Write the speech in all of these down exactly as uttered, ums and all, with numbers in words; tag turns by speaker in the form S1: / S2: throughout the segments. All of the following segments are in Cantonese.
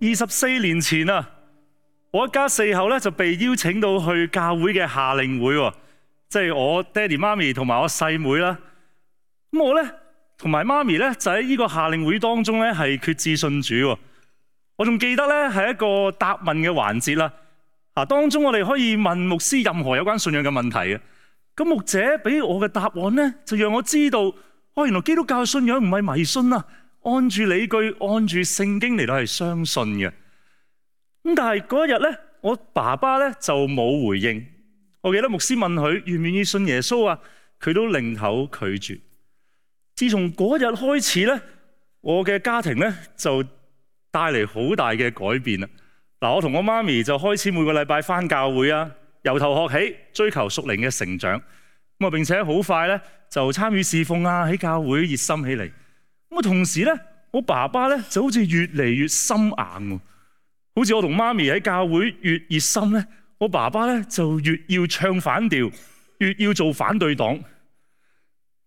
S1: 二十四年前啊，我一家四口咧就被邀請到去教會嘅夏令會喎，即係我爹哋媽咪同埋我細妹啦。咁我咧同埋媽咪咧就喺呢個夏令會當中咧係決志信主喎。我仲記得咧係一個答問嘅環節啦。啊，當中我哋可以問牧師任何有關信仰嘅問題嘅。咁牧者俾我嘅答案咧，就讓我知道，哦，原來基督教信仰唔係迷信啊，按住理據，按住聖經嚟到係相信嘅。咁但係嗰一日咧，我爸爸咧就冇回應。我記得牧師問佢願唔願意信耶穌啊，佢都擰頭拒絕。自從嗰日開始咧，我嘅家庭咧就帶嚟好大嘅改變啦。嗱，我同我媽咪就開始每個禮拜返教會啊，由頭學起，追求屬靈嘅成長。咁啊，並且好快咧就參與侍奉啊，喺教會熱心起嚟。咁啊，同時咧，我爸爸咧就好似越嚟越心硬喎。好似我同媽咪喺教會越熱心咧，我爸爸咧就越要唱反調，越要做反對黨。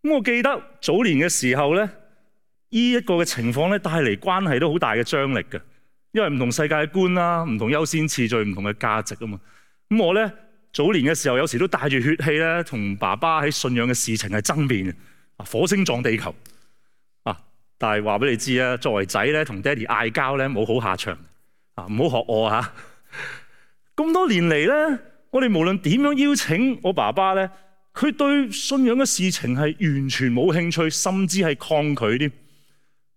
S1: 咁我記得早年嘅時候咧，呢一個嘅情況咧帶嚟關係都好大嘅張力嘅，因為唔同世界觀啦，唔同優先次序，唔同嘅價值啊嘛。咁我咧早年嘅時候，有時都帶住血氣咧，同爸爸喺信仰嘅事情係爭辯嘅，啊，火星撞地球啊！但係話俾你知啊，作為仔咧，同爹哋嗌交咧冇好下場啊，唔好學我嚇。咁多年嚟咧，我哋無論點樣邀請我爸爸咧，佢對信仰嘅事情係完全冇興趣，甚至係抗拒添。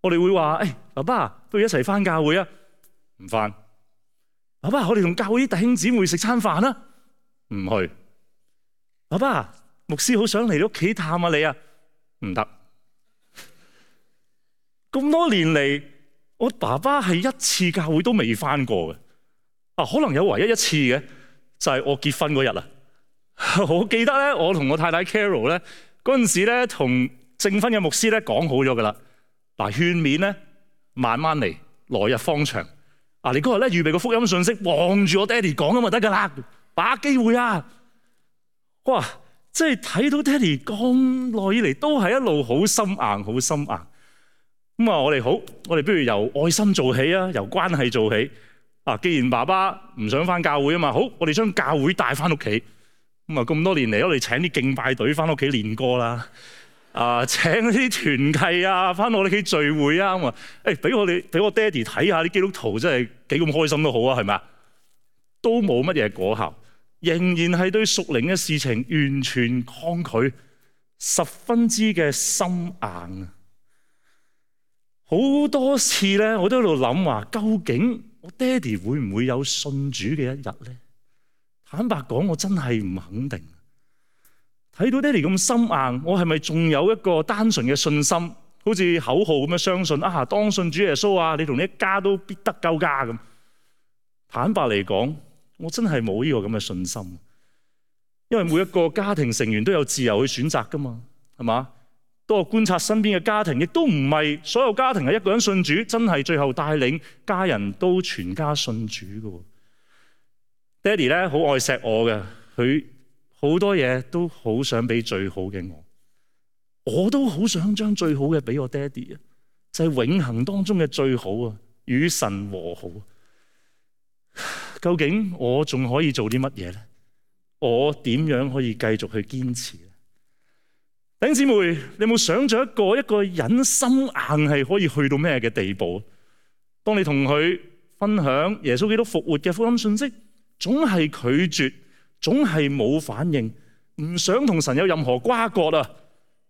S1: 我哋會話：誒，爸爸，不如一齊返教會啊？唔返。爸爸，我哋同教會啲弟兄姊妹食餐飯啊？唔去。爸爸，牧師好想嚟你屋企探下你啊？唔得。咁多年嚟，我爸爸係一次教會都未返過嘅。啊，可能有唯一一次嘅，就係我結婚嗰日啦。我記得咧，我同我太太 Carol 咧嗰陣時咧，同證婚嘅牧師咧講好咗噶啦。嗱，勸勉咧慢慢嚟，來日方長。啊，你嗰日咧預備個福音信息，望住我爹哋講咁就得噶啦，把握機會啊！哇，即係睇到爹哋咁耐以嚟都係一路好心硬，好心硬。咁啊，我哋好，我哋不如由愛心做起啊，由關係做起。啊，既然爸爸唔想返教會啊嘛，好，我哋將教會帶返屋企。咁啊，咁多年嚟，我哋請啲敬拜隊返屋企練歌啦。啊！請啲團契啊，翻我哋屋企聚會啊咁啊！誒，俾我哋俾我爹哋睇下啲基督徒真係幾咁開心都好啊，係咪啊？都冇乜嘢果效，仍然係對屬靈嘅事情完全抗拒，十分之嘅心硬啊！好多次咧，我都喺度諗話，究竟我爹哋會唔會有信主嘅一日咧？坦白講，我真係唔肯定。睇到爹哋咁心硬，我係咪仲有一個單純嘅信心，好似口號咁樣相信啊？當信主耶穌啊，你同你一家都必得救家咁。坦白嚟講，我真係冇呢個咁嘅信心，因為每一個家庭成員都有自由去選擇噶嘛，係嘛？當我觀察身邊嘅家庭，亦都唔係所有家庭係一個人信主，真係最後帶領家人都全家信主噶。爹哋咧好愛錫我嘅，佢。好多嘢都好想俾最好嘅我，我都好想將最好嘅俾我爹哋啊！就係永恆當中嘅最好啊，與神和好。究竟我仲可以做啲乜嘢咧？我點樣可以繼續去堅持咧？弟兄姊妹，你有冇想象一個一個人心硬係可以去到咩嘅地步？當你同佢分享耶穌基督復活嘅福音信息，總係拒絕。總係冇反應，唔想同神有任何瓜葛啊！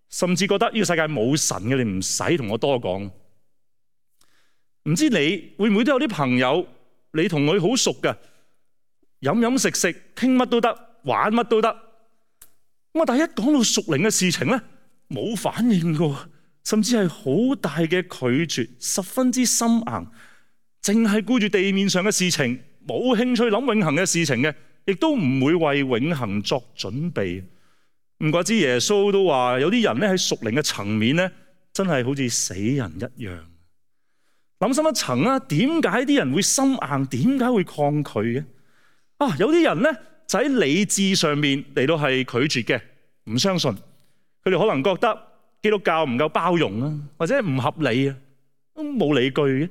S1: 甚至覺得呢個世界冇神嘅，你唔使同我多講。唔知你會唔會都有啲朋友，你同佢好熟㗎，飲飲食食傾乜都得，玩乜都得。咁啊，但係一講到屬靈嘅事情咧，冇反應㗎，甚至係好大嘅拒絕，十分之心硬，淨係顧住地面上嘅事情，冇興趣諗永恆嘅事情嘅。亦都唔會為永恆作準備。唔怪之耶穌都話，有啲人咧喺屬靈嘅層面咧，真係好似死人一樣。諗深一層啊，點解啲人會心硬？點解會抗拒嘅？啊，有啲人咧就喺理智上面嚟到係拒絕嘅，唔相信。佢哋可能覺得基督教唔夠包容啊，或者唔合理啊，都冇理據嘅。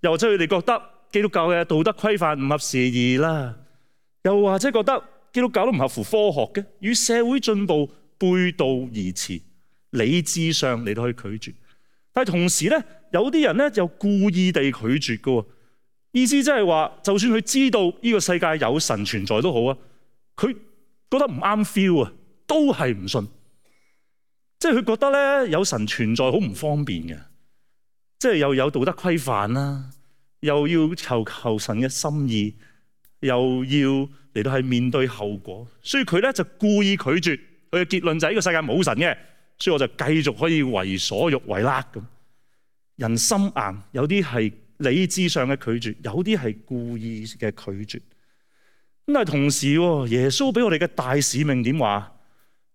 S1: 又或者佢哋覺得基督教嘅道德規範唔合時宜啦，又或者覺得基督教都唔合乎科學嘅，與社會進步背道而馳，理智上嚟到去拒絕。但係同時咧，有啲人咧就故意地拒絕嘅，意思即係話，就算佢知道呢個世界有神存在都好啊，佢覺得唔啱 feel 啊，都係唔信。即係佢覺得咧有神存在好唔方便嘅，即係又有道德規範啦，又要求求神嘅心意，又要嚟到係面對後果，所以佢咧就故意拒絕。佢嘅結論就係呢個世界冇神嘅，所以我就繼續可以為所欲為啦咁。人心硬，有啲係理智上嘅拒絕，有啲係故意嘅拒絕。咁但係同時，耶穌俾我哋嘅大使命點話？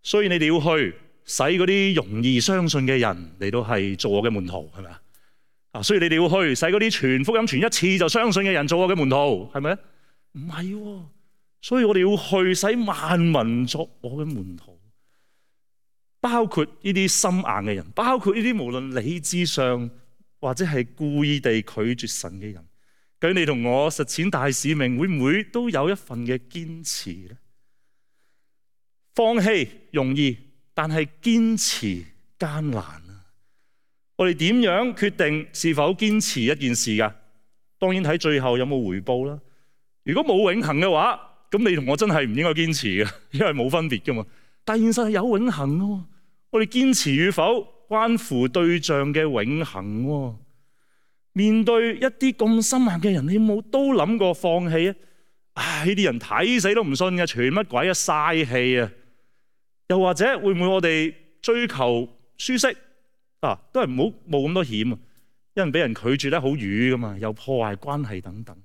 S1: 所以你哋要去使嗰啲容易相信嘅人嚟到係做我嘅門徒，係咪啊？所以你哋要去使嗰啲傳福音傳一次就相信嘅人做我嘅門徒，係咪？唔係，所以我哋要去使萬民作我嘅門徒，包括呢啲心硬嘅人，包括呢啲無論理智上或者係故意地拒絕神嘅人。究竟你同我實踐大使命，會唔會都有一份嘅堅持咧？放棄容易，但係堅持艱難啊！我哋點樣決定是否堅持一件事噶？當然睇最後有冇回報啦。如果冇永恆嘅話，咁你同我真係唔應該堅持嘅，因為冇分別噶嘛。但現實係有永恆咯，我哋堅持與否關乎對象嘅永恆。面對一啲咁心硬嘅人，你有冇都諗過放棄啊？唉，呢啲人睇死都唔信嘅，傳乜鬼啊，嘥氣啊！又或者會唔會我哋追求舒適啊？都係唔好冇咁多險啊！因為俾人拒絕得好瘀噶嘛，又破壞關係等等。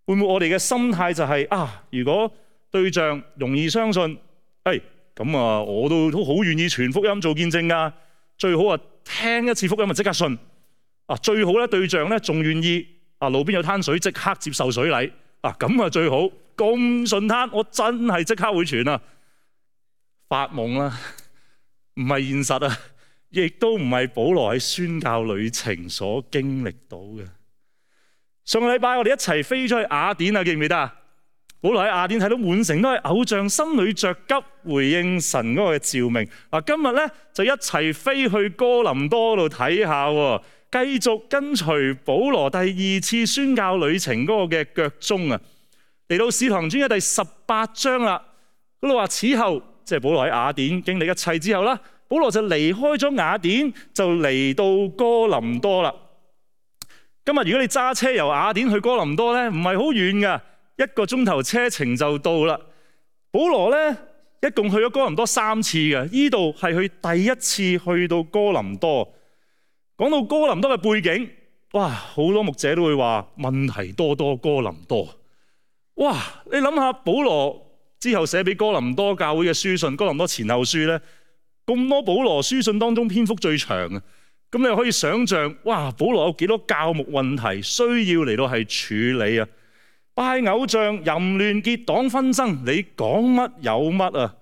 S1: 會唔會我哋嘅心態就係、是、啊？如果對象容易相信，誒咁啊，我都都好願意傳福音做見證噶。最好啊，聽一次福音就即刻信啊！最好咧，對象咧仲願意啊，路邊有攤水即刻接受水禮啊！咁啊最好，咁順攤，我真係即刻會傳啊！發夢啦，唔係現實啊，亦都唔係保羅喺宣教旅程所經歷到嘅。上個禮拜我哋一齊飛出去雅典啊，記唔記得啊？保羅喺雅典睇到滿城都係偶像，心裏着急回應神嗰個嘅召命。嗱，今日咧就一齊飛去哥林多度睇下，繼續跟隨保羅第二次宣教旅程嗰個嘅腳蹤啊！嚟到使徒行傳嘅第十八章啦，嗰度話此後。即係保羅喺雅典經歷一切之後啦，保羅就離開咗雅典，就嚟到哥林多啦。今日如果你揸車由雅典去哥林多咧，唔係好遠噶，一個鐘頭車程就到啦。保羅咧一共去咗哥林多三次嘅，呢度係佢第一次去到哥林多。講到哥林多嘅背景，哇，好多牧者都會話問題多多哥林多。哇，你諗下保羅之後寫俾哥林多教會嘅書信，哥林多前後書咧，咁多保羅書信當中篇幅最長啊！咁你可以想象，哇，保羅有幾多教牧問題需要嚟到係處理啊？拜偶像、淫亂、結黨紛爭，你講乜有乜啊？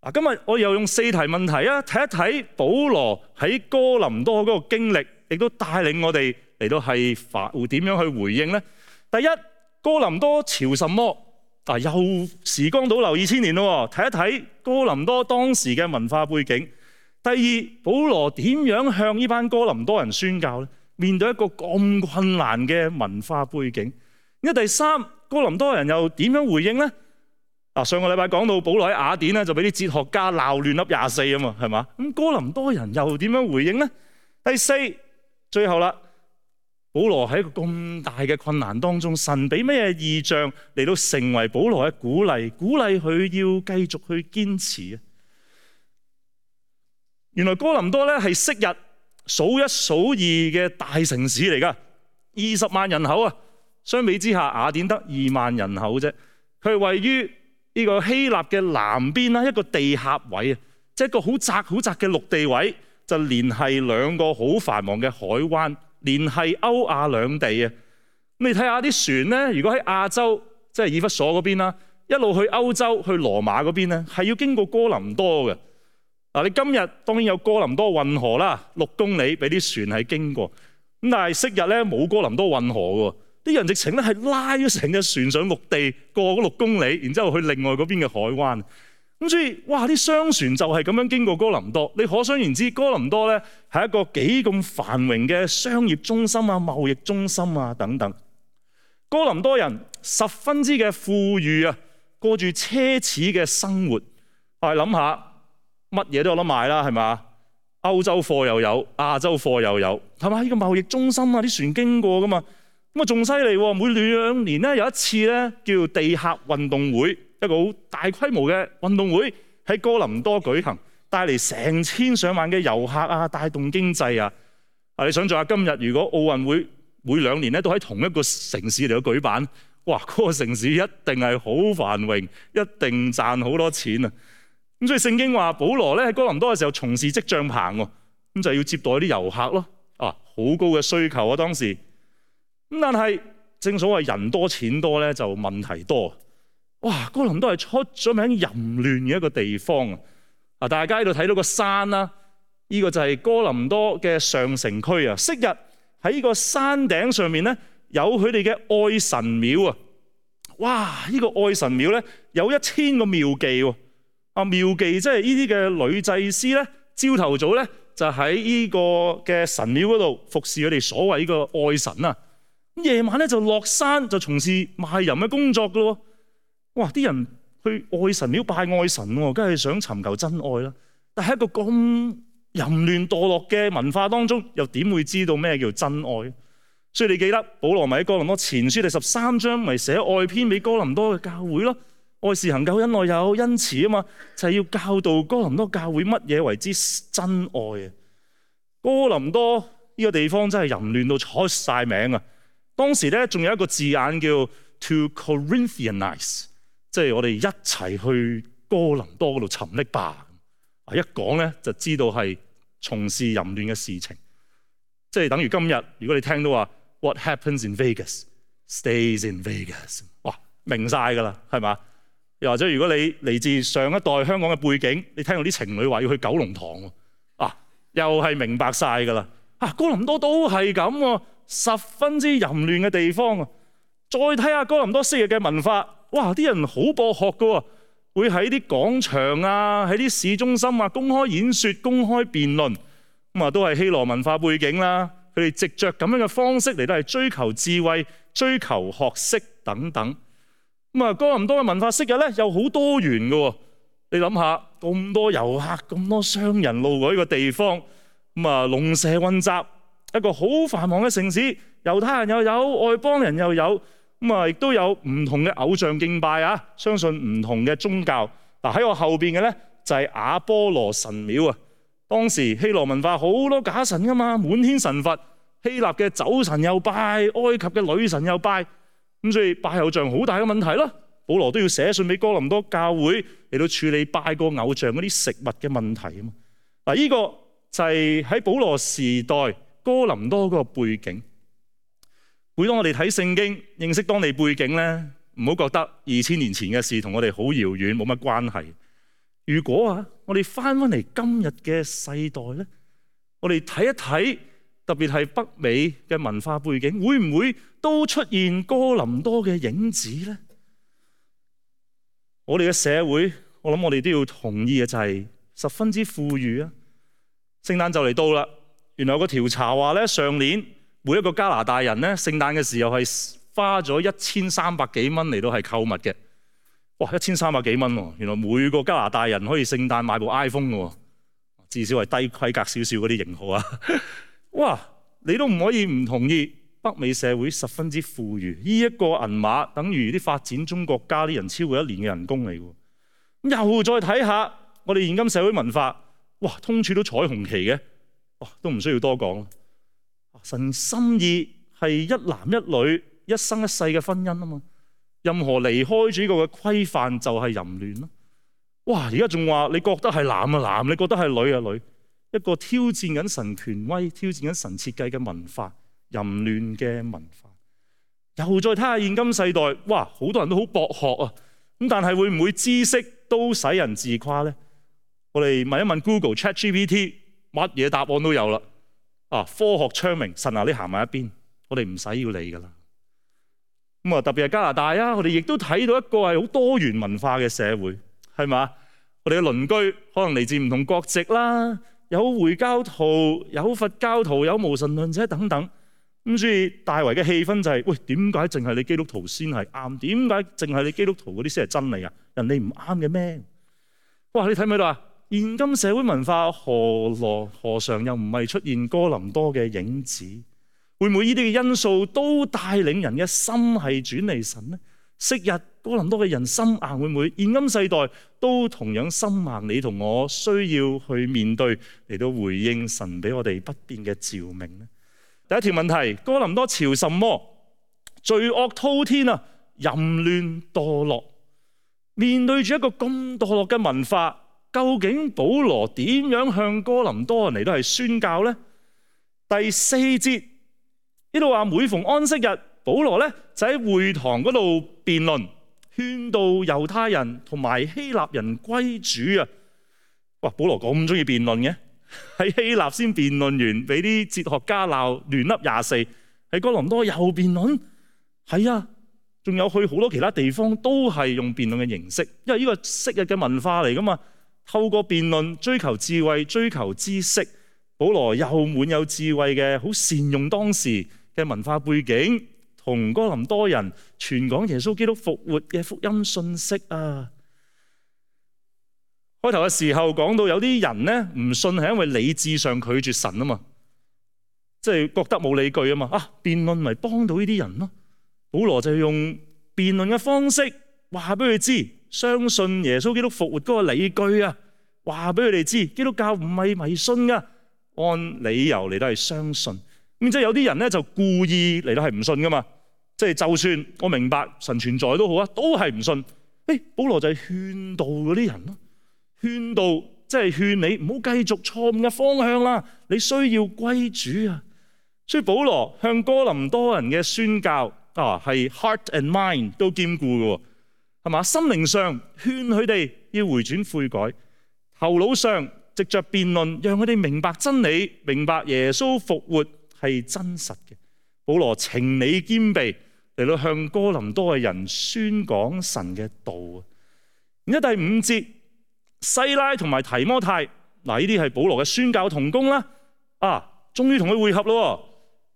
S1: 嗱，今日我又用四題問題啊，睇一睇保羅喺哥林多嗰個經歷，亦都帶領我哋嚟到係發會點樣去回應咧？第一，哥林多朝什麼？啊！又時光倒流二千年咯，睇一睇哥林多當時嘅文化背景。第二，保羅點樣向呢班哥林多人宣教咧？面對一個咁困難嘅文化背景。咁第三，哥林多人又點樣回應咧？啊，上個禮拜講到保羅喺雅典咧，就俾啲哲學家鬧亂粒廿四啊嘛，係嘛？咁哥林多人又點樣回應咧？第四，最後啦。保羅喺一個咁大嘅困難當中，神俾咩異象嚟到成為保羅嘅鼓勵，鼓勵佢要繼續去堅持啊！原來哥林多咧係昔日數一數二嘅大城市嚟噶，二十萬人口啊，相比之下雅典得二萬人口啫。佢係位於呢個希臘嘅南邊啦，一個地狹位啊，即係一個好窄好窄嘅陸地位，就連係兩個好繁忙嘅海灣。連係歐亞兩地啊！咁你睇下啲船咧，如果喺亞洲，即係以弗所嗰邊啦，一路去歐洲去羅馬嗰邊咧，係要經過哥林多嘅。嗱，你今日當然有哥林多運河啦，六公里俾啲船係經過。咁但係昔日咧冇哥林多運河嘅，啲人直情咧係拉咗成隻船上陸地過嗰六公里，然之後去另外嗰邊嘅海灣。咁所以哇，啲商船就係咁樣經過哥林多。你可想而知，哥林多咧係一個幾咁繁榮嘅商業中心啊、貿易中心啊等等。哥林多人十分之嘅富裕啊，過住奢侈嘅生活。我哋諗下，乜嘢都有得賣啦，係嘛？歐洲貨又有，亞洲貨又有，係嘛？呢個貿易中心啊，啲船經過噶嘛。咁啊，仲犀利喎！每兩年咧有一次咧，叫地客運動會，一個好大規模嘅運動會喺哥林多舉行，帶嚟成千上萬嘅遊客啊，帶動經濟啊！啊，你想象下今日如果奧運會每兩年咧都喺同一個城市嚟到舉辦，哇！嗰個城市一定係好繁榮，一定賺好多錢啊！咁所以聖經話，保羅咧喺哥林多嘅時候從事織帳棚喎，咁就要接待啲遊客咯。啊，好高嘅需求啊當時。咁但係正所謂人多錢多咧，就問題多。哇！哥林多係出咗名淫亂嘅一個地方啊！啊，大家喺度睇到個山啦，呢個就係哥林多嘅上城區啊。昔日喺呢個山頂上面咧，有佢哋嘅愛神廟啊！哇！呢個愛神廟咧有一千個廟妓喎。啊，廟妓即係呢啲嘅女祭司咧，朝頭早咧就喺呢個嘅神廟嗰度服侍佢哋所謂呢個愛神啊。夜晚咧就落山就從事賣淫嘅工作噶咯。哇！啲人去愛神廟拜愛神，梗係想尋求真愛啦。但係一個咁淫亂墮落嘅文化當中，又點會知道咩叫真愛？所以你記得保羅咪喺哥林多前書第十三章咪寫愛篇俾哥林多嘅教會咯。愛是恒久忍耐有恩慈啊嘛，就係、是、要教導哥林多教會乜嘢為之真愛啊。哥林多呢個地方真係淫亂到出晒名啊！當時咧仲有一個字眼叫 to Corinthianize， 即係我哋一齊去哥林多嗰度沉溺吧。一講咧就知道係從事淫亂嘅事情，即係等於今日如果你聽到話 What happens in Vegas stays in Vegas， 哇，明晒㗎啦，係嘛？又或者如果你嚟自上一代香港嘅背景，你聽到啲情侶話要去九龍塘喎，啊，又係明白晒㗎啦。啊，哥林多都係咁喎。十分之淫亂嘅地方啊！再睇下哥林多昔日嘅文化，哇！啲人好博學㗎喎，會喺啲廣場啊、喺啲市中心啊公開演說、公開辯論，咁啊都係希羅文化背景啦。佢哋藉着咁樣嘅方式嚟到係追求智慧、追求學識等等。咁啊，哥林多嘅文化昔日咧又好多元㗎喎。你諗下，咁多遊客、咁多商人路過呢個地方，咁啊龍蛇混雜。一個好繁忙嘅城市，猶太人又有，外邦人又有，咁啊亦都有唔同嘅偶像敬拜啊，相信唔同嘅宗教。嗱，喺我後邊嘅咧就係亞波羅神廟啊。當時希羅文化好多假神噶嘛，滿天神佛，希臘嘅酒神又拜，埃及嘅女神又拜，咁所以拜偶像好大嘅問題咯。保羅都要寫信俾哥林多教會嚟到處理拜過偶像嗰啲食物嘅問題啊嘛。嗱，呢個就係喺保羅時代哥林多嗰個背景。每當我哋睇聖經，認識當地背景咧，唔好覺得二千年前嘅事同我哋好遙遠，冇乜關係。如果啊，我哋翻翻嚟今日嘅世代咧，我哋睇一睇，特別係北美嘅文化背景，會唔會都出現哥林多嘅影子咧？我哋嘅社會，我諗我哋都要同意嘅就係十分之富裕啊！聖誕就嚟到啦。原來有個調查話咧，上年每一個加拿大人咧，聖誕嘅時候係花咗一千三百幾蚊嚟到係購物嘅。哇，一千三百幾蚊喎！原來每個加拿大人可以聖誕買部 iPhone 嘅喎，至少係低規格少少嗰啲型號啊！哇，你都唔可以唔同意北美社會十分之富裕，呢一個銀碼等於啲發展中國家啲人超過一年嘅人工嚟嘅。又再睇下我哋現今社會文化，哇，通處都彩虹旗嘅。哇，都唔需要多講。神心意係一男一女一生一世嘅婚姻啊嘛，任何離開住呢個嘅規範就係淫亂咯。哇，而家仲話你覺得係男啊男，你覺得係女啊女，一個挑戰緊神權威、挑戰緊神設計嘅文化，淫亂嘅文化。又再睇下現今世代，哇，好多人都好博學啊，咁但係會唔會知識都使人自誇咧？我哋問一問 Google、ChatGPT。乜嘢答案都有啦！啊，科學昌明，神啊，你行埋一邊，我哋唔使要你噶啦。咁啊，特別係加拿大啊，我哋亦都睇到一個係好多元文化嘅社會，係嘛？我哋嘅鄰居可能嚟自唔同國籍啦，有回教徒、有佛教徒、有無神論者等等。咁所以大圍嘅氣氛就係、是：喂，點解淨係你基督徒先係啱？點解淨係你基督徒嗰啲先係真理啊？人哋唔啱嘅咩？哇！你睇唔睇到啊？現今社會文化何來何嘗又唔係出現哥林多嘅影子？會唔會呢啲嘅因素都帶領人嘅心係轉離神呢？昔日哥林多嘅人心硬，會唔會現今世代都同樣心硬？你同我需要去面對嚟到回應神俾我哋不變嘅召命呢？第一條問題：哥林多朝什麼？罪惡滔天啊，淫亂墮落。面對住一個咁墮落嘅文化，究竟保羅點樣向哥林多人嚟到係宣教呢？第四節呢度話，每逢安息日，保羅咧就喺會堂嗰度辯論，勸導猶太人同埋希臘人歸主啊！哇，保羅咁中意辯論嘅，喺希臘先辯論完，俾啲哲學家鬧亂粒廿四，喺哥林多又辯論，係啊，仲有去好多其他地方都係用辯論嘅形式，因為呢個昔日嘅文化嚟噶嘛，透過辯論追求智慧、追求知識。保羅又滿有智慧嘅，好善用當時嘅文化背景，同哥林多人傳講耶穌基督復活嘅福音信息啊！開頭嘅時候講到有啲人咧唔信係因為理智上拒絕神啊嘛，即係覺得冇理據啊嘛，啊辯論咪幫到呢啲人咯。保羅就用辯論嘅方式話俾佢知，相信耶穌基督復活嗰個理據啊，話俾佢哋知基督教唔係迷信噶。按理由嚟到係相信，咁即係有啲人咧就故意嚟到係唔信噶嘛，即係就算我明白神存在都好啊，都係唔信。誒，保羅就係勸導嗰啲人咯，勸導即係勸你唔好繼續錯誤嘅方向啦，你需要歸主啊。所以保羅向哥林多人嘅宣教啊，係 heart and mind 都兼顧嘅，係嘛？心靈上勸佢哋要回轉悔改，頭腦上藉着辯論，讓佢哋明白真理，明白耶穌復活係真實嘅。保羅情理兼備嚟到向哥林多嘅人宣講神嘅道啊！然之後第五節，西拉同埋提摩太，嗱呢啲係保羅嘅宣教同工啦。啊，終於同佢會合咯。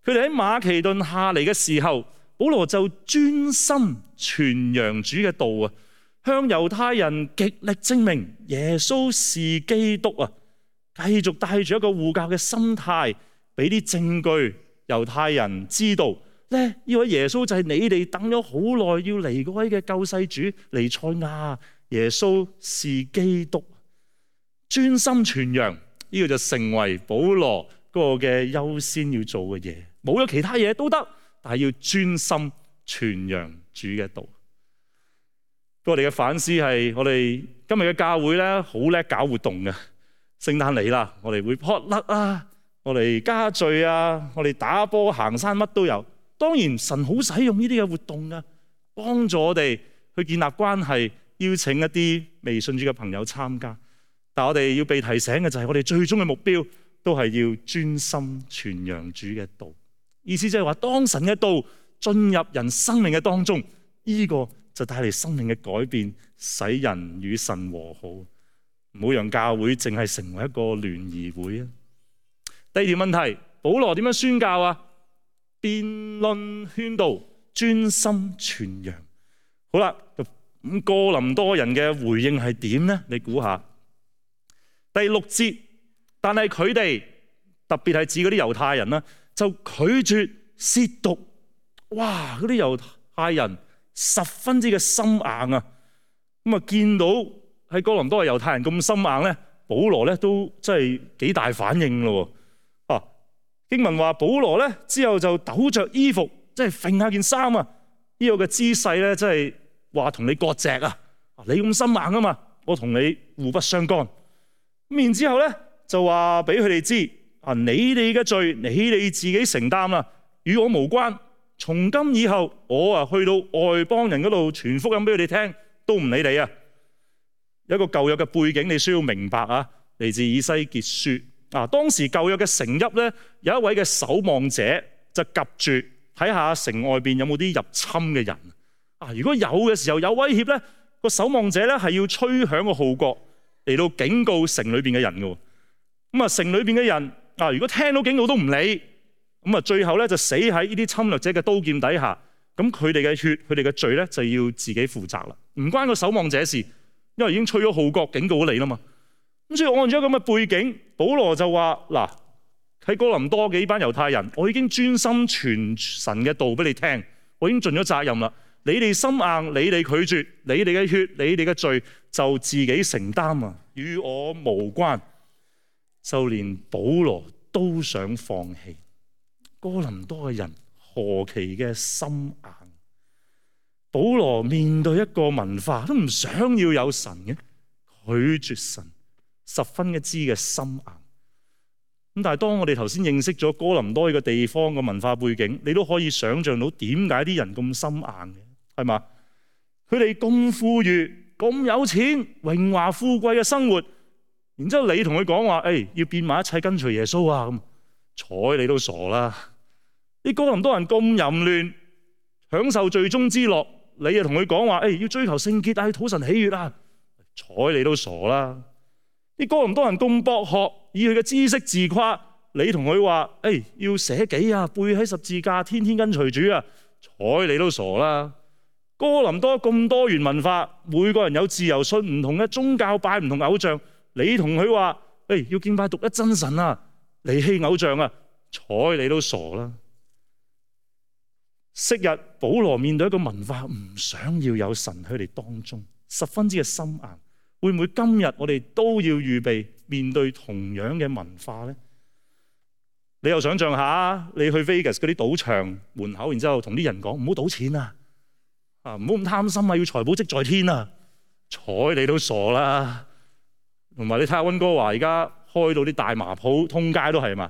S1: 佢哋喺馬其頓下嚟嘅時候，保羅就專心傳揚主嘅道啊！向猶太人極力證明耶穌是基督啊！繼續帶住一個護教嘅心態，俾啲證據猶太人知道咧，呢位耶穌就係你哋等咗好耐要嚟嗰位嘅救世主彌賽亞，耶穌是基督。專心傳揚呢個就成為保羅嗰個嘅優先要做嘅嘢，冇咗其他嘢都得，但係要專心傳揚主嘅道。我哋嘅反思係，我哋今日嘅教會咧好叻搞活動嘅，聖誕嚟啦，我哋會撲甩啊，我哋加聚啊，我哋打波、行山，乜都有。當然神好使用呢啲嘅活動啊，幫助我哋去建立關係，邀請一啲未信主嘅朋友參加。但我哋要被提醒嘅就係，我哋最終嘅目標都係要專心傳揚主嘅道。意思即係話，當神嘅道進入人生命嘅當中，呢個就帶嚟生命嘅改變，使人與神和好。唔好讓教會淨係成為一個聯誼會啊！第二條問題，保羅點樣宣教啊？辯論勸導，專心傳揚。好啦，咁哥林多人嘅回應係點呢？你估下？第六節，但係佢哋特別係指嗰啲猶太人啦，就拒絕褻瀆。哇！嗰啲猶太人十分之嘅心硬啊！咁啊，見到喺哥林多嘅猶太人咁心硬咧，保羅咧都真係幾大反應咯。啊，經文話保羅咧之後就抖着衣服，即係揈下件衫啊！呢個嘅姿勢咧，即係話同你割席啊！你咁心硬啊嘛，我同你互不相干。咁然之後咧就話俾佢哋知啊，你哋嘅罪你哋自己承擔啦，與我無關。從今以後，我啊去到外邦人嗰度傳福音俾佢哋聽，都唔理你啊！有一個舊約嘅背景，你需要明白啊，嚟自以西結書啊。當時舊約嘅城邑咧，有一位嘅守望者就及住睇下城外邊有冇啲入侵嘅人啊。如果有嘅時候有威脅咧，個守望者咧係要吹響個號角嚟到警告城裏邊嘅人嘅。咁啊，城裏邊嘅人啊，如果聽到警告都唔理，咁啊，最後咧就死喺呢啲侵略者嘅刀劍底下。咁佢哋嘅血，佢哋嘅罪咧就要自己負責啦，唔關個守望者事，因為已經吹咗號角警告咗你啦嘛。咁所以按照咁嘅背景，保羅就話嗱，喺哥林多嘅呢班猶太人，我已經專心傳神嘅道俾你聽，我已經盡咗責任啦。你哋心硬，你哋拒絕，你哋嘅血，你哋嘅罪就自己承擔啊，與我無關。就連保羅都想放棄。哥林多嘅人何其嘅心硬！保羅面對一個文化都唔想要有神嘅，拒絕神，十分一知嘅心硬。咁但係當我哋頭先認識咗哥林多呢個地方嘅文化背景，你都可以想象到點解啲人咁心硬嘅，係嘛？佢哋咁富裕、咁有錢、榮華富貴嘅生活，然之後你同佢講話，誒、哎、要變埋一切跟隨耶穌啊，咁睬你都傻啦！啲哥林多人咁淫亂，享受罪中之樂，你又同佢講話，誒要追求聖潔啊，討神喜悅啊，睬你都傻啦！啲哥林多人咁博學，以佢嘅知識自誇，你同佢話，誒要捨己啊，背起十字架，天天跟隨主啊，睬你都傻啦！哥林多咁多元文化，每個人有自由信唔同嘅宗教，拜唔同偶像，你同佢話，誒要敬拜獨一真神啊，離棄偶像啊，睬你都傻啦！昔日保羅面對一個文化，唔想要有神喺佢哋當中，十分之嘅心硬。會唔會今日我哋都要預備面對同樣嘅文化呢？你又想象下，你去 Vegas 嗰啲賭場門口，然之後同啲人講唔好賭錢啊，啊唔好咁貪心啊，要財寶積在天啊，睬你都傻啦！同埋你睇下溫哥華而家開到啲大麻鋪，通街都係嘛？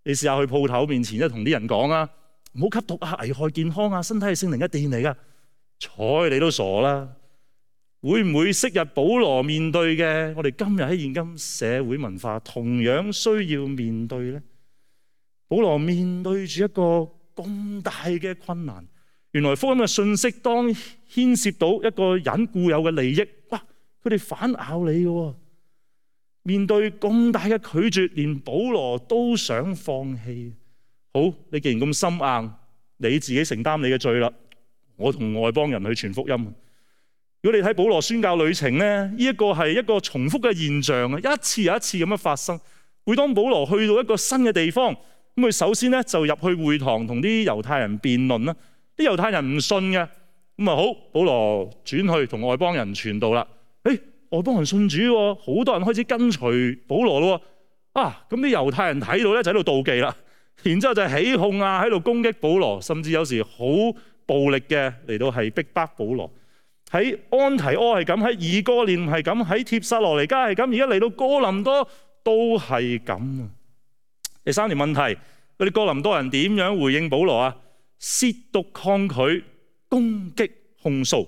S1: 你試下去鋪頭面前，即係同啲人講啊，唔好吸毒啊，危害健康啊，身體係聖靈嘅殿嚟噶，睬你都傻啦！會唔會昔日保羅面對嘅，我哋今日喺現今社會文化同樣需要面對呢？保羅面對住一個咁大嘅困難，原來福音嘅信息當牽涉到一個人固有嘅利益，哇！佢哋反咬你嘅，面對咁大嘅拒絕，連保羅都想放棄。好，你既然咁心硬，你自己承擔你嘅罪啦。我同外邦人去傳福音。如果你睇保羅宣教旅程咧，呢一個係一個重複嘅現象啊，一次又一次咁樣發生。每當保羅去到一個新嘅地方，咁佢首先咧就入去會堂同啲猶太人辯論啦。啲猶太人唔信嘅，咁啊好，保羅轉去同外邦人傳道啦。誒，外邦人信主喎，好多人開始跟隨保羅咯。啊，咁啲猶太人睇到咧就喺度妒忌啦，然之後就起哄啊，喺度攻擊保羅，甚至有時好暴力嘅嚟到係逼迫保羅。喺安提阿係咁，喺以哥念係咁，喺帖撒羅尼迦係咁，而家嚟到哥林多都係咁啊！第三條問題，嗰啲哥林多人點樣回應保羅啊？褻瀆抗拒、攻擊、控訴。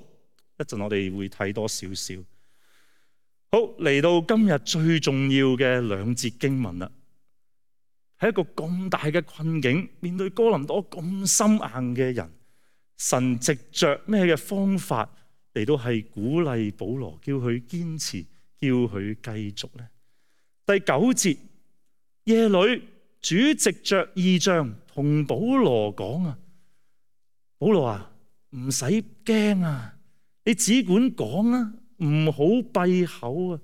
S1: 一陣我哋會睇多少少。好，嚟到今日最重要嘅兩節經文啦。喺一個咁大嘅困境，面對哥林多咁心硬嘅人，神藉着咩嘅方法嚟到係鼓勵保羅，叫佢堅持，叫佢繼續呢？第九節，夜裏主藉着異象同保羅講啊，保羅啊，唔使驚啊，你只管講啊，唔好閉口啊。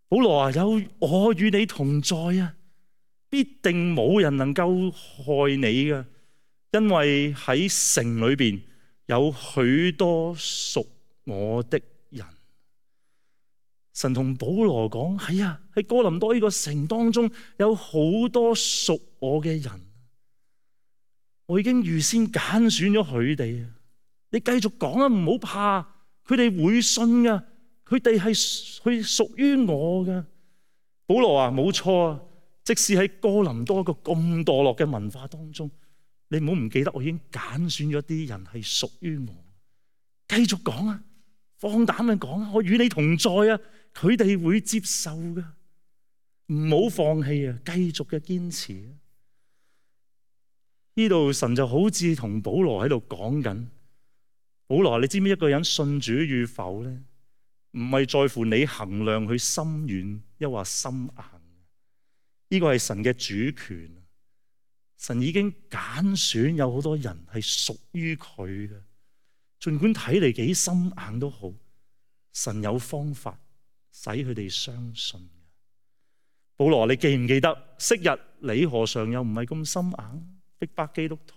S1: 保羅啊，有我與你同在啊，必定冇人能夠害你噶，因為喺城裏邊有許多屬我的人。神同保羅講，係啊，喺哥林多呢個城當中有好多屬我嘅人，我已經預先揀選咗佢哋啊！你繼續講啊，唔好怕，佢哋會信噶，佢哋係佢屬於我噶。保羅啊，冇錯啊，即使喺哥林多一個咁墮落嘅文化當中，你唔好唔記得，我已經揀選咗啲人係屬於我。繼續講啊，放膽去講啊，我與你同在啊，佢哋會接受噶，唔好放棄啊，繼續嘅堅持啊。呢度神就好似同保羅喺度講緊，保羅，你知唔知一個人信主與否咧？唔係在乎你衡量佢心軟抑或心硬，呢個係神嘅主權。神已經揀選有好多人係屬於佢嘅，儘管睇嚟幾心硬都好，神有方法使佢哋相信。保羅，你記唔記得昔日你何嘗又唔係咁心硬逼迫基督徒？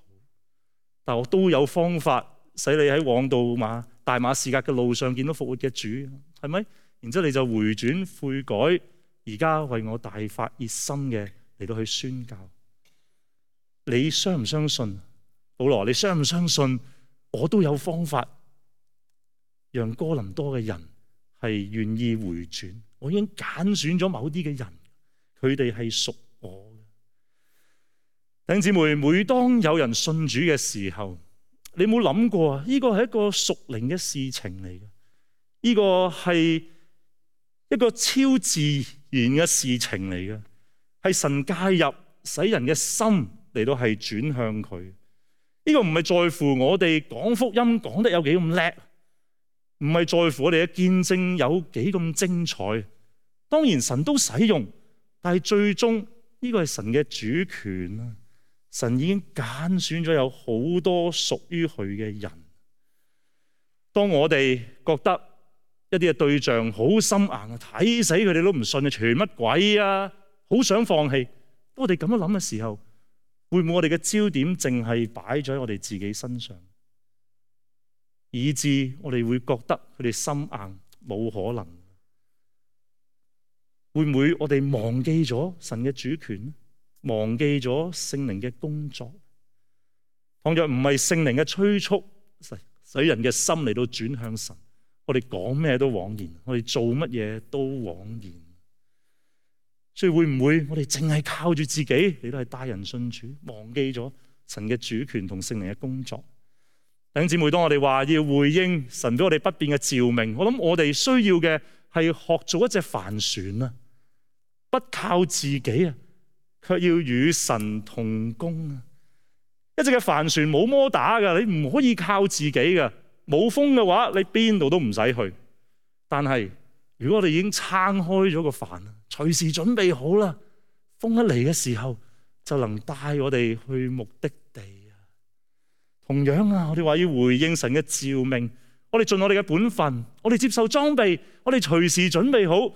S1: 但我都有方法使你喺往道馬大馬士革嘅路上見到復活嘅主，係咪？然之後你就回轉悔改，而家為我大發熱心嘅嚟到去宣教。你相唔相信？保羅，你相唔相信我都有方法讓哥林多嘅人係願意回轉？我已經揀選咗某啲嘅人，佢哋係屬我嘅。弟兄姊妹，每當有人信主嘅時候，你有冇諗過啊？呢個係一個屬靈嘅事情嚟嘅，呢個係一個超自然嘅事情嚟嘅，係神介入，使人嘅心嚟到係轉向佢。呢個唔係在乎我哋講福音講得有幾咁叻，唔係在乎我哋嘅見證有幾咁精彩。當然神都使用，但係最終呢個係神嘅主權啊！神已經揀選咗有好多屬於佢嘅人。當我哋覺得一啲嘅對象好心硬啊，睇死佢哋都唔信啊，傳乜鬼啊，好想放棄。當我哋咁樣諗嘅時候，會唔會我哋嘅焦點淨係擺咗喺我哋自己身上，以致我哋會覺得佢哋心硬冇可能？會唔會我哋忘記咗神嘅主權，忘記咗聖靈嘅工作？倘若唔係聖靈嘅催促，使人嘅心嚟到轉向神，我哋講咩都枉然，我哋做乜嘢都枉然。所以會唔會我哋淨係靠住自己嚟到係帶人信主，忘記咗神嘅主權同聖靈嘅工作？弟兄姊妹，當我哋話要回應神俾我哋不變嘅召命，我諗我哋需要嘅係學做一隻帆船啊，不靠自己啊，卻要與神同工啊！一隻嘅帆船冇摩打噶，你唔可以靠自己噶。冇風嘅話，你邊度都唔使去。但係如果我哋已經撐開咗個帆，隨時準備好啦，風一嚟嘅時候就能帶我哋去目的地啊！同樣啊，我哋話要回應神嘅召命，我哋盡我哋嘅本分，我哋接受裝備，我哋隨時準備好，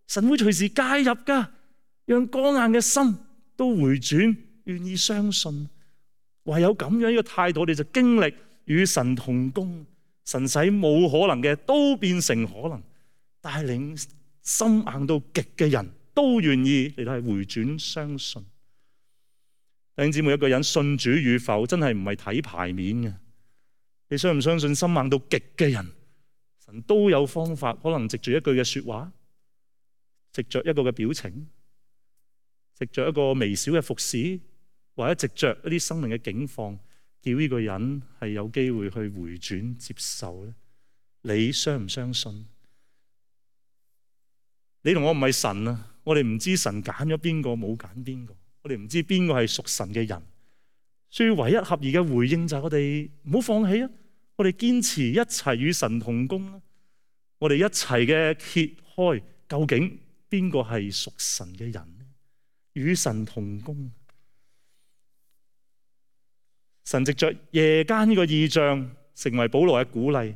S1: 神會隨時介入噶，讓剛硬嘅心都回轉，願意相信。唯有咁樣呢個態度，我哋就經歷與神同工，神使冇可能嘅都變成可能，帶領心硬到極嘅人都願意嚟到係回轉相信。弟兄姊妹，一個人信主與否，真係唔係睇牌面嘅。你相唔相信心硬到極嘅人，神都有方法，可能藉住一句嘅說話，藉着一個嘅表情，藉着一個微小嘅服侍，或者藉着一啲生命嘅境況，叫呢個人係有機會去回轉接受咧？你相唔相信？你同我唔係神啊，我哋唔知神揀咗邊個，冇揀邊個，我哋唔知邊個係屬神嘅人。所以唯一合宜嘅回應就係我哋唔好放棄啊！我哋堅持一齊與神同工啊！我哋一齊嘅揭開究竟邊個係屬神嘅人呢？與神同工。神藉着夜間呢個異象成為保羅嘅鼓勵，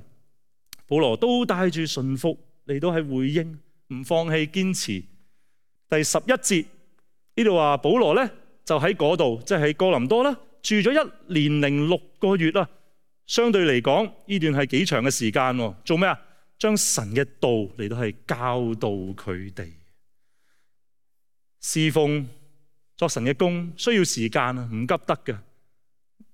S1: 保羅都帶住順服嚟到係回應，唔放棄堅持。第十一節呢度話保羅咧就喺嗰度，即係喺哥林多啦，住咗一年零六個月啦。相對嚟講呢段係幾長嘅時間。做咩啊？將神嘅道嚟到係教導佢哋。侍奉作神嘅工需要時間啊，唔急得嘅，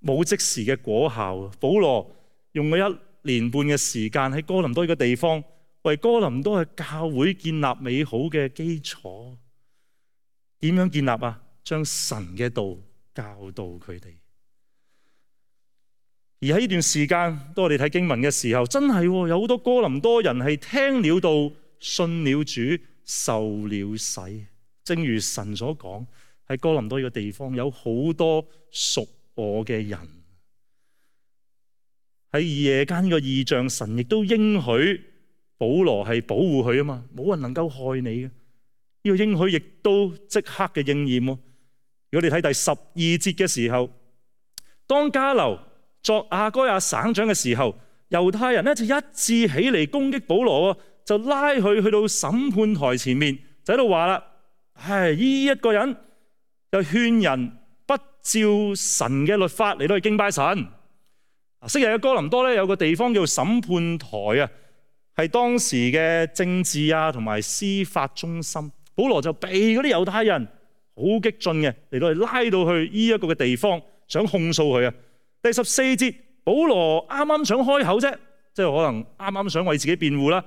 S1: 冇即時嘅果效。保羅用咗一年半嘅時間喺哥林多呢個地方，為哥林多嘅教會建立美好嘅基礎。點樣建立啊？將神嘅道教導佢哋。而喺呢段時間，當我哋睇經文嘅時候，真係有好多哥林多人係聽了道、信了主、受了洗。正如神所講，喺哥林多呢個地方有好多屬我嘅人。喺夜間呢個異象，神亦都應許保羅係保護佢啊嘛，冇人能夠害你嘅。呢、這個應許亦都即刻嘅應驗。如果你睇第十二節嘅時候，當迦流作亞該亞省長嘅時候，猶太人咧就一致起嚟攻擊保羅，就拉佢去到審判台前面，就喺度話啦：唉，呢一個人就勸人不照神嘅律法嚟到去敬拜神。昔日嘅哥林多咧有個地方叫審判台啊，係當時嘅政治啊同埋司法中心。保羅就被嗰啲猶太人好激進嘅嚟到去拉到去呢一個嘅地方，想控訴佢啊。第十四節，保羅啱啱想開口啫，即係可能啱啱想為自己辯護啦。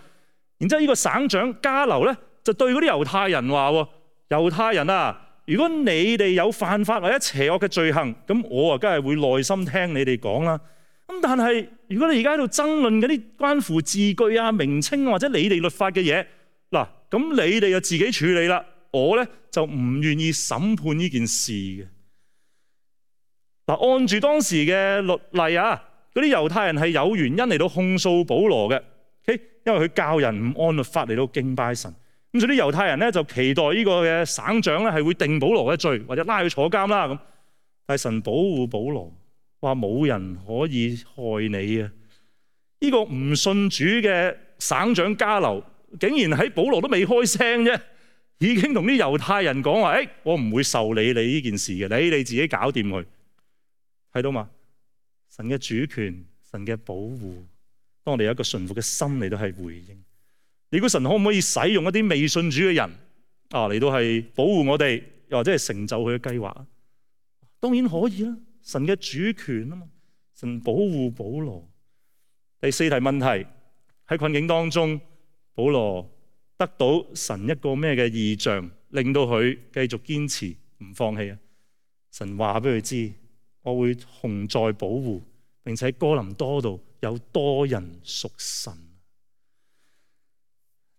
S1: 然之後呢個省長迦流咧就對嗰啲猶太人話：猶太人啊，如果你哋有犯法或者邪惡嘅罪行，咁我啊梗係會耐心聽你哋講啦。咁但係如果你而家喺度爭論嗰啲關乎字句啊、名稱或者你哋律法嘅嘢，嗱，咁你哋就自己處理啦。我咧就唔願意審判呢件事嘅。嗱，按住當時嘅律例啊，嗰啲猶太人係有原因嚟到控訴保羅嘅，因為佢教人唔按律法嚟到敬拜神。咁所以啲猶太人咧就期待呢個嘅省長咧係會定保羅嘅罪，或者拉佢坐監啦咁。但係神保護保羅。話冇人可以害你啊！呢個唔信主嘅省長迦流，竟然喺保羅都未開聲啫，已經同啲猶太人講話：誒，我唔會受理你呢件事嘅，你你自己搞掂佢。睇到嘛？神嘅主權，神嘅保護，當我哋有一個順服嘅心嚟到係回應。你估神可唔可以使用一啲未信主嘅人啊嚟到係保護我哋，又或者係成就佢嘅計劃？當然可以啦。神嘅主權啊嘛，神保護保羅。第四題問題，喺困境當中，保羅得到神一個咩嘅異象，令到佢繼續堅持唔放棄啊？神話俾佢知，我會同在保護，並且喺哥林多度有多人屬神。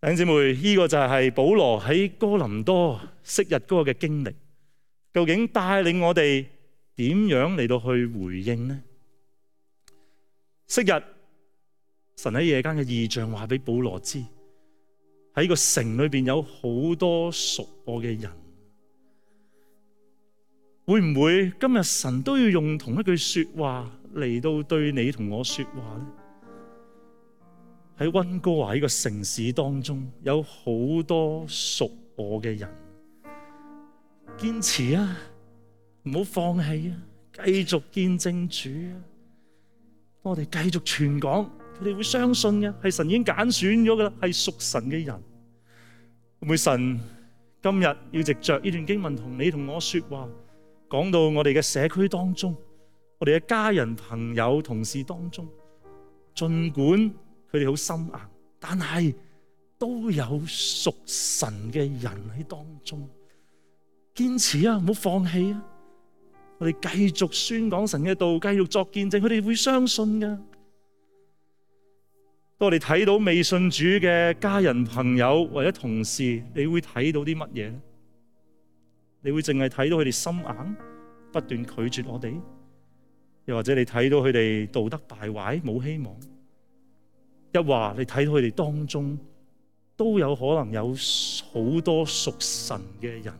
S1: 弟兄姊妹，呢個就係保羅喺哥林多昔日嗰個嘅經歷，究竟帶領我哋點樣嚟到去回應呢？昔日神喺夜間嘅異象話俾保羅知，喺個城裏邊有好多屬我嘅人。會唔會今日神都要用同一句說話嚟到對你同我說話呢？喺溫哥華呢個城市當中，有好多屬我嘅人，堅持啊！唔好放棄啊！繼續見證主啊！我哋繼續傳講，佢哋會相信嘅，係神已經揀選咗噶啦，係屬神嘅人。會唔會神今日要藉着呢段經文同你同我說話，講到我哋嘅社區當中，我哋嘅家人、朋友、同事當中，盡管佢哋好心硬，但係都有屬神嘅人喺當中。堅持啊！唔好放棄啊！我哋繼續宣講神嘅道，繼續作見證，佢哋會相信噶。當我哋睇到未信主嘅家人、朋友或者同事，你會睇到啲乜嘢咧？你會淨係睇到佢哋心硬，不斷拒絕我哋，又或者你睇到佢哋道德敗壞，冇希望？一話你睇到佢哋當中都有可能有好多屬神嘅人。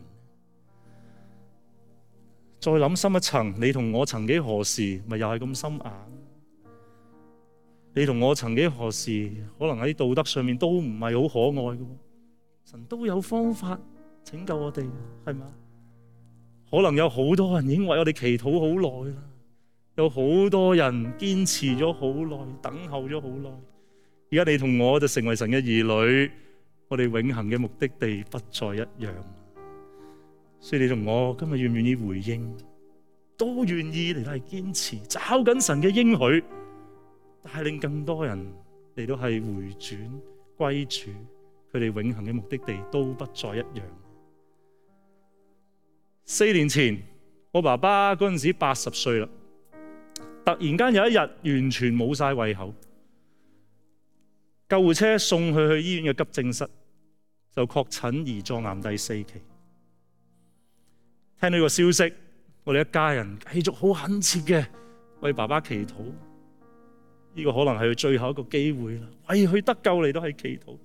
S1: 再諗深一層，你同我曾幾何時咪又係咁心硬？你同我曾幾何時可能喺道德上面都唔係好可愛嘅，神都有方法拯救我哋，係咪？可能有好多人已經為我哋祈禱好耐啦，有好多人堅持咗好耐，等候咗好耐。而家你同我就成為神嘅兒女，我哋永恆嘅目的地不再一樣。所以你同我今日願唔願意回應，都願意嚟到係堅持，找緊神嘅應許，帶領更多人嚟到係回轉歸主，佢哋永恆嘅目的地都不再一樣。四年前，我爸爸嗰陣時八十歲啦，突然間有一日完全冇晒胃口，救護車送佢去醫院嘅急症室，就確診胰臟癌第四期。聽到呢個消息，我哋一家人繼續好懇切嘅為爸爸祈禱。呢個可能係佢最後一個機會啦，為佢得救嚟都係祈禱。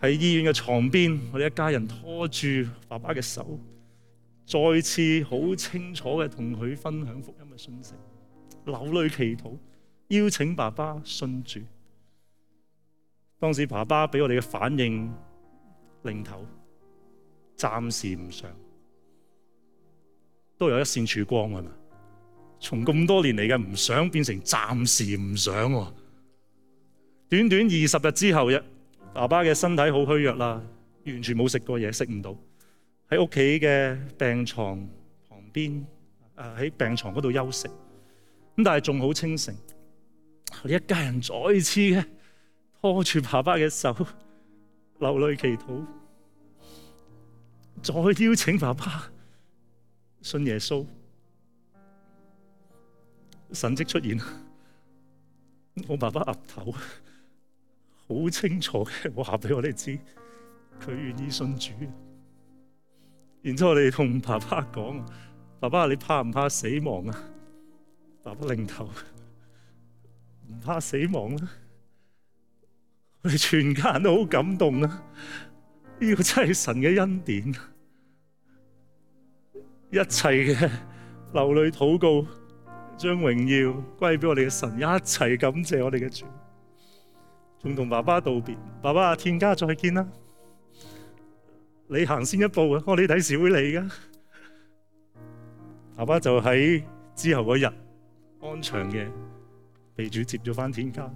S1: 喺醫院嘅床邊，我哋一家人拖住爸爸嘅手，再次好清楚嘅同佢分享福音嘅信息，流淚祈禱，邀請爸爸信主。當時爸爸俾我哋嘅反應，擰頭，暫時唔想，都有一線曙光㗎嘛。從咁多年嚟嘅唔想變成暫時唔想喎。短短二十日之後，爸爸嘅身體好虛弱啦，完全冇食過嘢，食唔到，喺屋企嘅病床旁邊，誒喺病床嗰度休息。咁但係仲好清醒。我哋一家人再次嘅拖住爸爸嘅手，流淚祈禱，再邀請爸爸信耶穌。神蹟出現，我爸爸岌頭，好清楚嘅話俾我哋知，佢願意信主。然之後我哋同爸爸講：爸爸，你怕唔怕死亡啊？爸爸擰頭，唔怕死亡啦。我哋全家人都好感動啊！呢個真係神嘅恩典，一切嘅流淚禱告，將榮耀歸俾我哋嘅神，一齊感謝我哋嘅主，仲同爸爸道別。爸爸，天家再見啦！你行先一步啊，我哋第時會嚟噶。爸爸就喺之後嗰日安詳嘅被主接咗返天家。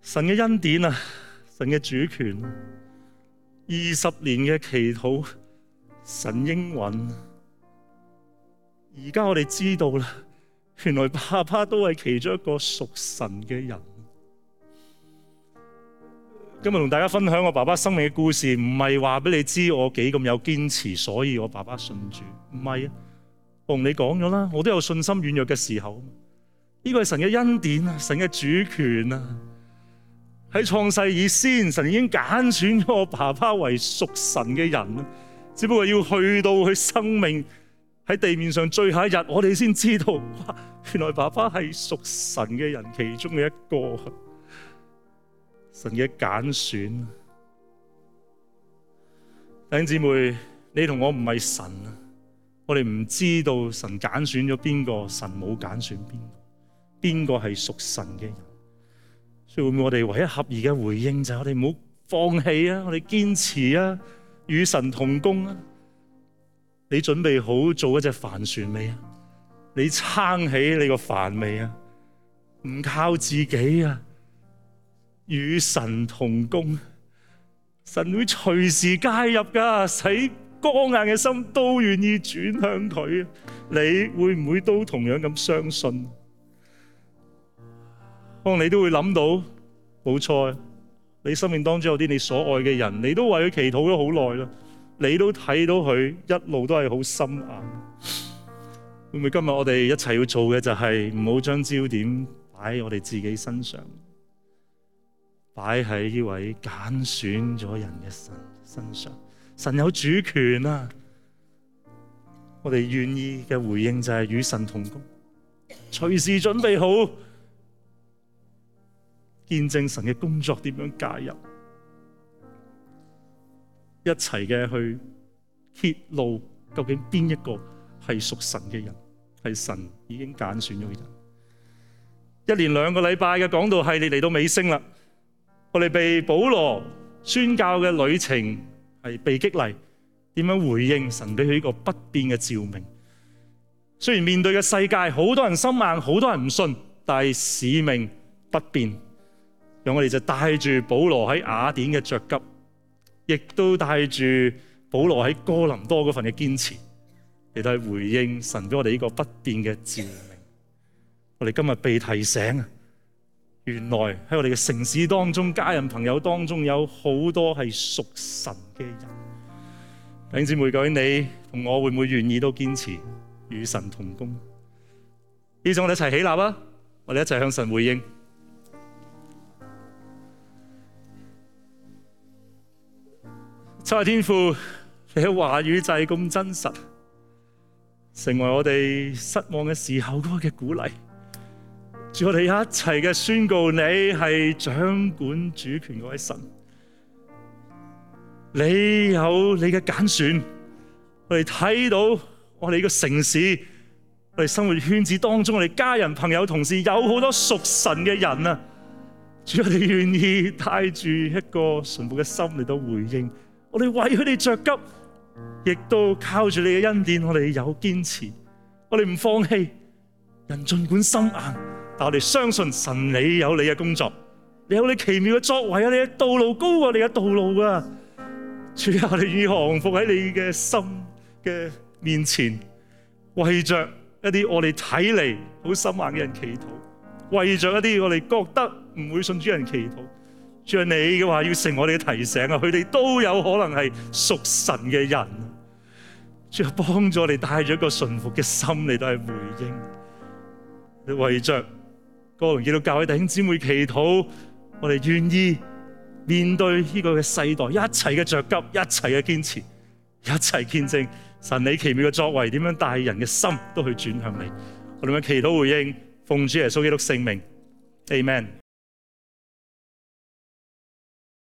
S1: 神嘅恩典啊，神嘅主權，二十年嘅祈禱，神應允。而家我哋知道啦，原來爸爸都係其中一個屬神嘅人。今日同大家分享我爸爸生命嘅故事，唔係話俾你知我幾咁有堅持，所以我爸爸信主。唔係啊，我同你講咗啦，我都有信心軟弱嘅時候。呢個係神嘅恩典啊，神嘅主權啊。喺創世以先，神已經揀選咗我爸爸為屬神嘅人，只不過要去到佢生命喺地面上最後一日，我哋先知道，哇！原來爸爸係屬神嘅人其中嘅一個，神嘅揀選。弟兄姊妹，你同我唔係神啊，我哋唔知道神揀選咗邊個，神冇揀選邊個，邊個係屬神嘅人。所以會唔會我哋唯一合宜嘅回應就係我哋唔好放棄啊，我哋堅持啊，與神同工啊。你準備好做一隻帆船未啊？你撐起你個帆未啊？唔靠自己啊，與神同工，神會隨時介入噶，使剛硬嘅心都願意轉向佢。你會唔會都同樣咁相信？可能你都會諗到，冇錯，你生命當中有啲你所愛嘅人，你都為佢祈禱咗好耐啦。你都睇到佢一路都係好心硬，會唔會今日我哋一齊要做嘅就係唔好將焦點擺喺我哋自己身上，擺喺呢位揀選咗人嘅神身上。神有主權啊！我哋願意嘅回應就係與神同工，隨時準備好見證神嘅工作點樣介入。一齊嘅去揭露究竟邊一個係屬神嘅人，係神已經揀選咗嘅人。一連兩個禮拜嘅講道系列嚟到尾聲啦，我哋被保羅宣教嘅旅程係被激勵，點樣回應神俾佢呢個不變嘅召命。雖然面對嘅世界好多人心硬，好多人唔信，但係使命不變。讓我哋就帶住保羅喺雅典嘅着急，亦都帶住保羅喺哥林多嗰份嘅堅持，嚟到去回應神俾我哋呢個不變嘅召命。我哋今日被提醒啊，原來喺我哋嘅城市當中、家人朋友當中有好多係屬神嘅人。弟兄姊妹，究竟你同我會唔會願意都堅持與神同工？呢種我哋一齊起立啊！我哋一齊向神回應。親愛天父，你嘅話語就係咁真實，成為我哋失望嘅時候嗰個嘅鼓勵。主，我哋一齊嘅宣告，你係掌管主權嗰位神，你有你嘅揀選。我哋睇到我哋呢個城市，我哋生活圈子當中，我哋家人、朋友、同事有好多屬神嘅人啊！主，我哋願意帶住一個順服嘅心嚟到回應，我哋為佢哋着急，亦都靠住你嘅恩典，我哋有堅持，我哋唔放棄。人盡管心硬，但我哋相信神，你有你嘅工作，你有你奇妙嘅作為啊！你嘅道路高過你嘅道路啊！主啊，我哋願意降服喺你嘅心嘅面前，為着一啲我哋睇嚟好心硬嘅人祈禱，為着一啲我哋覺得唔會信主人祈禱。主啊，你嘅話要成我哋嘅提醒啊！佢哋都有可能係屬神嘅人。主啊，幫助我哋帶咗一個順服嘅心嚟到係回應。你為着哥倫基督教會弟兄姊妹祈禱，我哋願意面對呢個嘅世代，一齊嘅着急，一齊嘅堅持，一齊見證神你奇妙嘅作為，點樣帶人嘅心都去轉向你。我哋嘅祈禱回應，奉主耶穌基督聖名 ，Amen。